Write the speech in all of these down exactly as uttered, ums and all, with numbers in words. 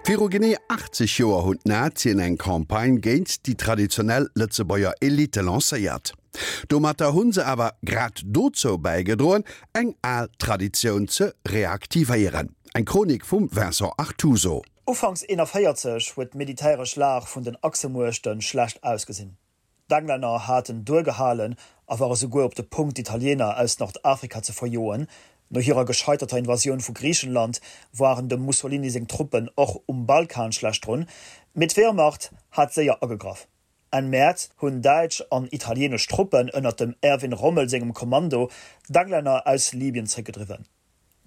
Viru genee achtzeg Joer hunn d'Nazien eng Campagne géint déi traditionell Lëtzebuerger Elite lancéiert. Domatter hu se awer grad dozou bäigedroen, eng al Traditioun ze reaktivéieren. Eng Chronik vum Vincent Artuso. Ufanks eenanvéierzeg huet d'militäresch Lag vun den Achsemuechte schlecht ausgesinn. D'Englänner haten duergehalen a ware souguer op de Punkt d'Italiener aus Nordafrika ze verjoen, no hirer gescheiterter Invasioun vu Griichenland waren dem Mussolini seng Truppen och um Balkan schlecht drun, mee d'Wehrmacht hat séier agegraff. Enn Mäerz hunn däitsch an italieenesch Truppen ënnert dem Erwin Rommel sengem Kommando d'Englänner aus Libyen zréckgedriwwen.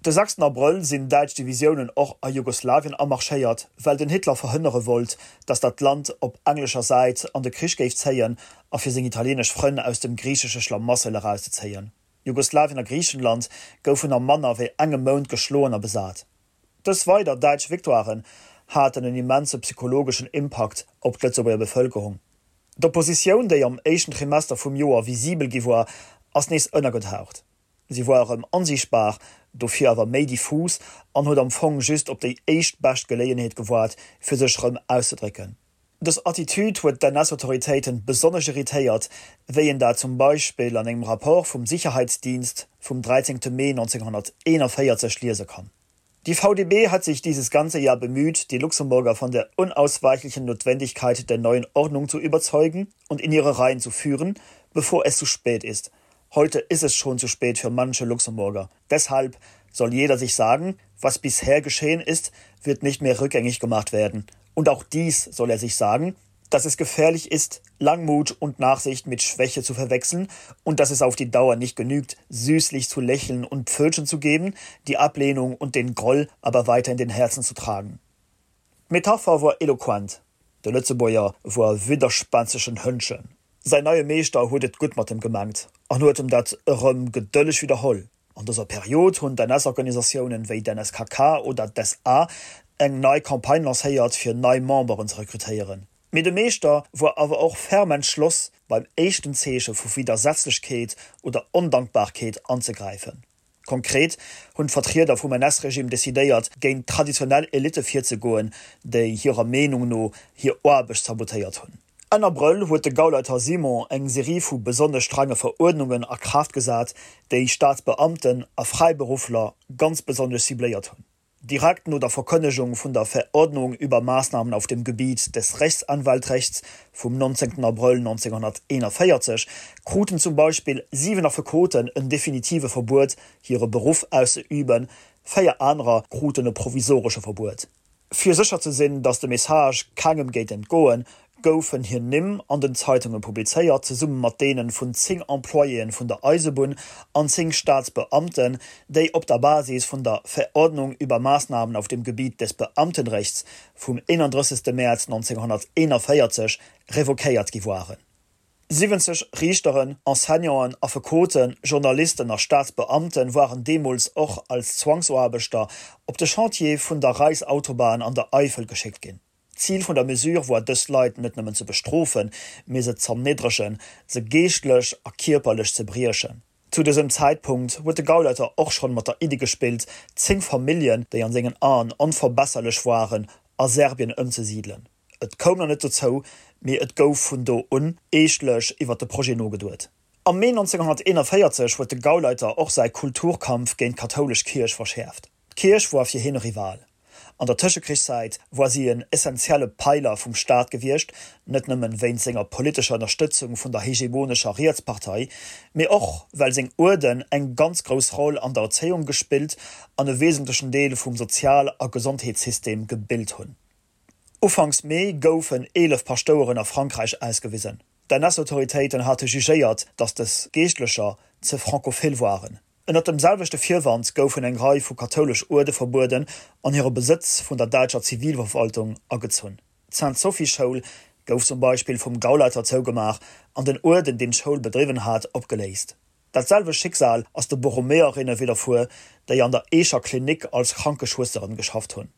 De sechsten Abrëll sinn däitsch Divisiounen och a Jugoslawien amarschéiert, well den Hitler verhënnere wollt, datt dat Land op englescher Säit an de Krich géif zéien a fir seng italieenesch Frënn aus dem griichesche Schlamassel erauszezéien. Jugoslawien a Griichenland goufen a manner wéi engem Mount geschloen a besat. Dës weider däitsch Victoiren haten en immense psychologeschen Impakt op d'Lëtzebuerger Bevëlkerung. D'Oppositioun, déi am éischten Trimester vum Joer visibel gi war, ass nees ënnergetaucht. Si war erëm onsiichtbar, dofir awer méi diffus an huet am Fong just op déi éischt bescht Geleeënheet gewaart, fir sech erëm auszedrécken. Dës Attitüd huet d'N S-Autoritéiten besonnesch irritéiert, wéi een dat zum Beispill an engem Rapport vum Sicherheitsdienst vum dräizéngte Mee neunzehnhunderteenundvierzig liese kann. Die V D B hat sich dieses ganze Jahr bemüht, die Luxemburger von der unausweichlichen Notwendigkeit der neuen Ordnung zu überzeugen und in ihre Reihen zu führen, bevor es zu spät ist. Heute ist es schon zu spät für manche Luxemburger. Deshalb soll jeder sich sagen, was bisher geschehen ist, wird nicht mehr rückgängig gemacht werden. Und auch dies soll er sich sagen, dass es gefährlich ist, Langmut und Nachsicht mit Schwäche zu verwechseln und dass es auf die Dauer nicht genügt, süßlich zu lächeln und Pfötchen zu geben, die Ablehnung und den Groll aber weiter in den Herzen zu tragen. D'Metapher wor eloquent, De Lëtzebuerger wor e widderspänstegen Hëndchen. Säin neie Meeschter huet et gutt mat em gemengt an huet em dat erëm gedëlleg widderholl. An dëser Period hunn d'N S-Organisatiounen wéi d'N S K K oder d'S A eng nei Campagne lancéiert fir nei Memberen ze rekrutéieren. Mee de Meeschter wor awer och ferm entschloss beim éischten Zeeche vu Widdersetzlechkeet oder Ondankbarkeet anzegräifen. Konkret hunn d'Vertrieder vum N S-Regime decidéiert géint traditionell Elitte virzegoen, déi hirer Meenung no hir Aarbecht sabotéiert hunn. Enn Abrëll huet de Gauleiter Simon eng Serie vu besonnesch strenge Veruerdnungen a Kraaft gesat, déi Staatsbeamten a Fräiberuffler ganz besonnesch cibléiert hunn. Direkt no der Verkënnegung vun der Verordnung über Maßnahmen auf dem Gebiet des Rechtsanwaltrechts vum neunzehnten Abrëll neunzehnhunderteenundvéierzeg kruten zum Beispill siwen Affekoten en definitive Verbuet, hire Beruff auszeüben, véier anerer kruten e provisoresche Verbuet. Fir sécher ze sinn, datt de Message kengem géif entgoen, goufen hir Nimm an den Zeitunge publizéiert, zesumme mat deene vun zéng Employéeë vun der Eisebunn an zéng Staatsbeamten, déi op der Basis vun der Verordnung über Maßnahmen auf dem Gebiet des Beamtenrechts vum eenandrëssegste Mäerz neunzehnhunderteenundvéierzeg revoquéiert gi waren. Siwwenzeg Riichteren, Enseignanten, Affekoten, Journalisten a Staatsbeamte waren deemools och als Zwangsaarbechter op de Chantiere vun der Reichsautobahn an der Eifel geschéckt ginn. D'Zil vun der Mesure war dës Leit net nëmmen ze bestrofen, mee se z'erniddregen, se geeschtlech a kierperlech ze briechen. Zu dësem Zäitpunkt huet de Gauleiter och schonn mat der Iddi gespillt, zéng Familljen, déi an sengen Aen onverbesserlech waren, a Serbien ëmzesidelen. Et koum nach net dozou, mee et gouf vun do un eeschtlech iwwer de Projet nogeduet. Am Mee neunzehnhunderteenundvéierzeg huet de Gauleiter och säi Kulturkampf géint d'kathoulesch Kierch verschäerft. D'Kierch war fir hien e Rival. An der Tëschekrichszäit war si en essentielle Peiler vum Staat gewiescht, net nëmmen wéinst senger politescher Ënnerstëtzung vun der hegemonescher Rietspartei, mee och well seng Uerden eng ganz grouss Roll an der Erzéiung gespillt an e wesentlechen Deel vum Sozial a Gesondheetssystem gebilt hunn. Ufanks Mee goufen eelef Paschtoueren a Frankräich ausgewisen. D'N S-Autoritéiten hate jugéiert, datt dës Geeschtlecher ze frankophil waren. Ënnert dem selwechte Virwand goufen eng Rei vu kathoulesch Uerde verbueden an hire Besëtz vun der däitscher Zivilverwaltung agezunn. D'Sainte-Sophie-Schoul gouf zum Beispill vum Gauleiter zougemaach an den Uerden, deen d'Schoul bedriwwen hat, opgeléist. Dat selwecht Schicksal ass de Borromäerinne widderfuer, déi an der Eecher Klinik als Krankeschwësteren geschafft hunn.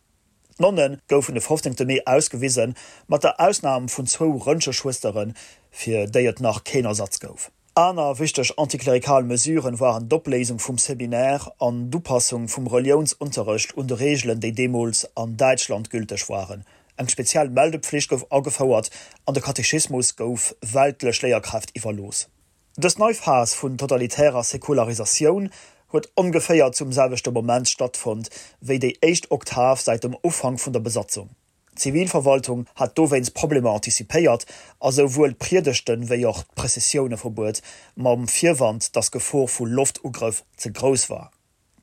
D'Nonne goufen de fofzéngte Mee ausgewisen, mat der Ausnam vun zwou Röntgeschwësteren, fir déi et nach keen Ersatz gouf. Aner wichteg antiklerikal Mesuren waren d'Opléisung vum Seminaire an d'Upassung vum Reliounsunterrecht un de Reegelen, déi deemools an Däitschland gülteg waren. Eng speziell Meldepflicht gouf agefouert an de Katechismus gouf weltlech Léierkräft iwwerlooss. Dës nei Phas vun totalitärer Säkularisatioun huet ongeféier zum selwechte Moment stattfonnt wéi déi éischt Oktav säit dem Ufank vun der Besatzung. D'Zivilverwaltung hat dowéinst Problemer antizipéiert a souwuel d'Priedegten wéi och d'Prëssessioune verbuet, mam Virwand, datt d'Gefor vu Loftugrëff ze grouss war.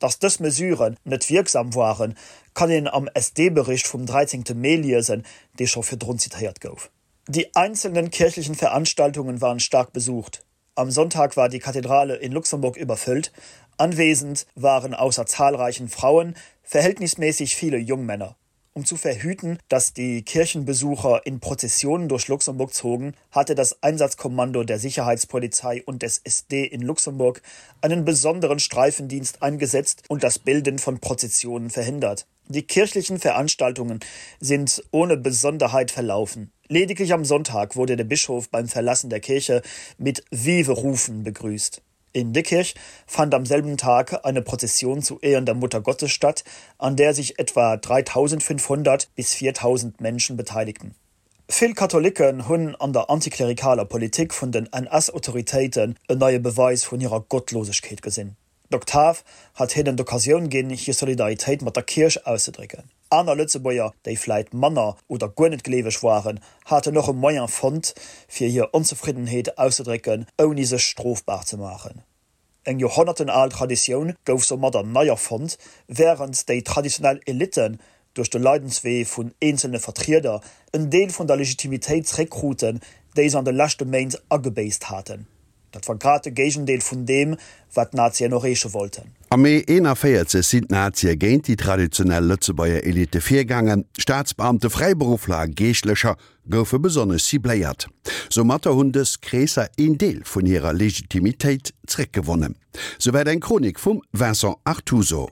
Datt dës Mesuren net wierksam waren, kann een am S D-Bericht vum dräizéngte Mee liesen, dee scho virdrun zitéiert gouf. Die einzelnen kirchlichen Veranstaltungen waren stark besucht. Am Sonntag war die Kathedrale in Luxemburg überfüllt. Anwesend waren außer zahlreichen Frauen verhältnismäßig viele Jungmänner. Um zu verhüten, dass die Kirchenbesucher in Prozessionen durch Luxemburg zogen, hatte das Einsatzkommando der Sicherheitspolizei und des S D in Luxemburg einen besonderen Streifendienst eingesetzt und das Bilden von Prozessionen verhindert. Die kirchlichen Veranstaltungen sind ohne Besonderheit verlaufen. Lediglich am Sonntag wurde der Bischof beim Verlassen der Kirche mit Vive-Rufen begrüßt. In Diekirch fand am selben Tag eine Prozession zu Ehren der Mutter Gottes statt, an der sich etwa dreitausendfünfhundert bis viertausend Menschen beteiligten. Vill Katholicken hunn an der antiklerikaler Politik vun den N S-Autoritéiten en neie Beweis vun hirer Gottlosegkeet gesinn. D'Oktav hat hinnen d'Occasioun ginn, hir Solidaritéit mat der Kierch auszedrécken. Aner Lëtzebuerger, déi vläit manner oder guer net gleeweg waren, haten och e Moyen fonnt, fir hir Onzefriddenheet auszedrécken, ouni sech strofbar ze maachen. Eng joerhonnerten al Traditioun gouf soumadder nei erfonnt, wärend déi traditionell Elitten duerch de Leidenswee vun eenzelne Vertrieder en Deel vun der Legitimitéit zeréckkruten, déi se an de leschte Méint agebéisst haten. Dat war grad de Géigendeel vun deem, wat d'Nazien erreeche wollten. Am Mee eenavéierzeg sinn d'Nazie géint déi traditionell Lëtzebuerger Elite virgaangen. Staatsbeamte, Fräiberuffler a Geeschtlecher goufe besonnesch cibléiert. Soumatter hunn dës Kreesser een Deel vun hirer Legitimitéit zeréckgewonnen. Souwäit eng Chronik vum Vincent Artuso.